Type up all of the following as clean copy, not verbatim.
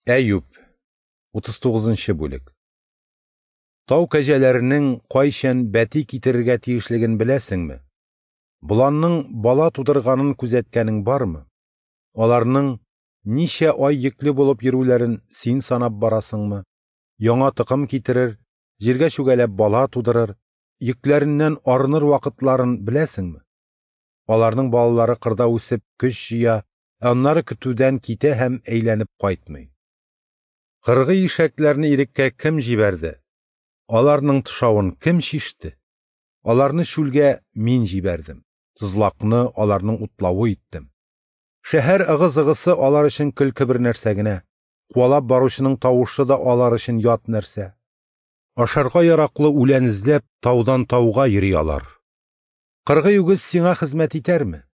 Әюп, 39 нчы бүлек. Тау кәҗәләренең кайчан бәти китерергә тиешлеген беләсеңме? Боланның бала тудырганын күзәткәнең бармы? Аларның ничә ай йөкле булып йөрүләрен син санап барасыңмы? Яңа токым китерер, җиргә чүгәләп бала тудырыр, йөкләреннән арыныр вакытларын беләсеңме? Аларның балалары кырда үсеп көч җыя, ә аннары көтүдән китә һәм әйләнеп кайтмый. Кыргый ишәкләрне иреккә кем җибәрде? Аларның тышавын кем чиште? Аларны чүлгә мин җибәрдем. Тозлакны аларның утлавы иттем. Шәһәр ыгы-зыгысы алар өчен көлке бер нәрсә генә. Куалап баручының тавышы да алар өчен ят нәрсә. Ашарга яраклы үлән эзләп таудан тауга йөри алар. Кыргый үгез сиңа хезмәт итәрме?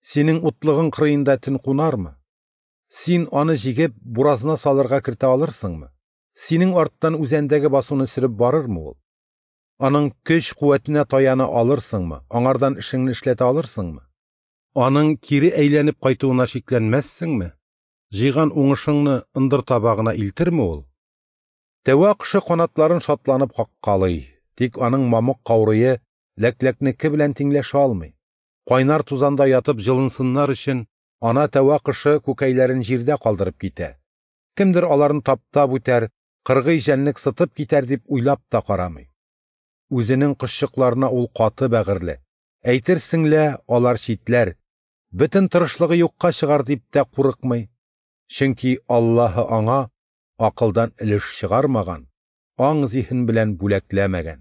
Синең утлыгың кырыенда төн кунармы? Син аны җигеп, буразна салырга кертә алырсыңмы? Синең арттан үзәндәге басуны сөреп барырмы ул? Аның көч-куәтенә таяна алырсыңмы? Аңардан эшеңне эшләтә алырсыңмы? Аның кире әйләнеп кайтуына шикләнмәссеңме? Җыйган уңышыңны ындыр табагына илтерме ул? Тәвә кошы канатларын шатланып каккалый, тик аның мамык каурые ләкләкнеке белән тиңләшә алмый. Кайнар тузанда ятып җылынсыннар өчен ана тәвә кошы күкәйләрен җирдә калдырып китә. Кемдер аларны таптап үтәр, кыргый җәнлек сытып китәр дип уйлап та карамый. Үзенең кошчыкларына ул каты бәгырьле. Әйтерсең лә, алар читләр, бөтен тырышлыгы юкка чыгар дип тә курыкмый. Чөнки Аллаһы аңа акылдан өлеш чыгармаган, аң-зиһен белән бүләкләмәгән.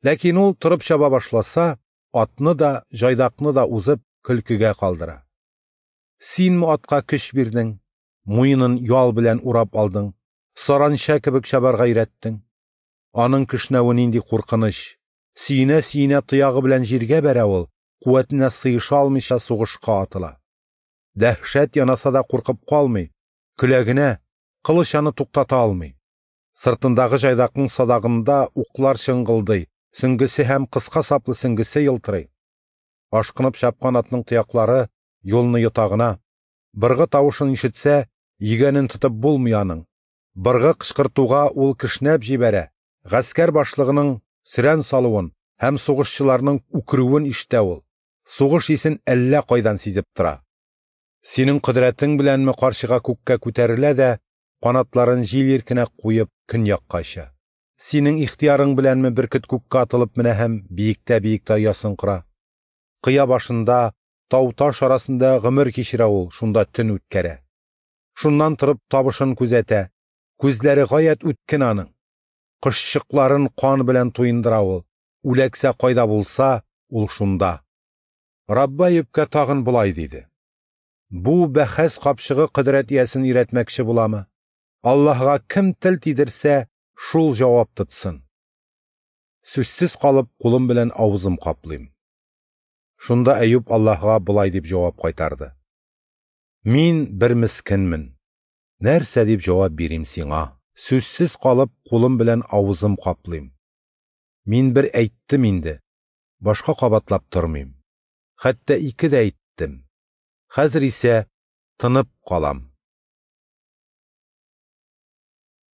Ләкин ул торып чаба башласа, атны да, җайдакны да узып, көлкегә калдыра. Синме атка көч бирдең, муенын ял белән урап алдың, саранча кебек чабарга өйрәттең? Аның кешнәве нинди куркыныч! Сөенә-сөенә тоягы белән җиргә бәрә ул, куәтенә сыеша алмыйча сугышка атыла. Дәһшәт янаса да куркып калмый, көлә генә, кылыч аны туктата алмый. Сыртындагы җайдакның садагында уклар чыңгылдый, сөңгесе һәм кыска саплы сөңгесе елтырый. Ашкынып чапкан атның тояклары юлны йота гына. Быргы тавышын ишетсә, йөгәнен тотып булмый аның. Быргы кычкыртуга ул кешнәп җибәрә, гаскәр башлыгының сөрән салуын һәм сугышчыларның үкерүен ишетә ул. Сугыш исен әллә кайдан сизеп тора. Синең кодрәтең беләнме карчыга күккә күтәрелә дә, канатларын җил иркенә куеп көньякка оча. Синең ихтыярың беләнме бөркет күккә атылып менә һәм биектә-биектә оясын кора. Кыя башында, тау-таш арасында гомер кичерә ул, шунда төн үткәрә. Шуннан торып табышын күзәтә, күзләре гаять үткен аның. Кошчыкларын кан белән туендыра ул, үләксә кайда булса, ул шунда. Раббы Әюпкә тагын болай диде: Бу бәхәс капчыгы кодрәт иясен өйрәтмәкче буламы? Аллаһыга кем тел тидерсә, шул җавап тотсын. Сүзсез калып, кулым белән авызым каплыйм. Шунда Әюп Аллаһыга болай дип җавап кайтарды: Мин бер мескенмен. Нәрсә дип җавап бирим сиңа? Сүзсез калып, кулым белән авызым каплыйм. Мин бер әйттем инде, башка кабатлап тормыйм. Хәтта ике дә әйттем. Хәзер исә тынып калам.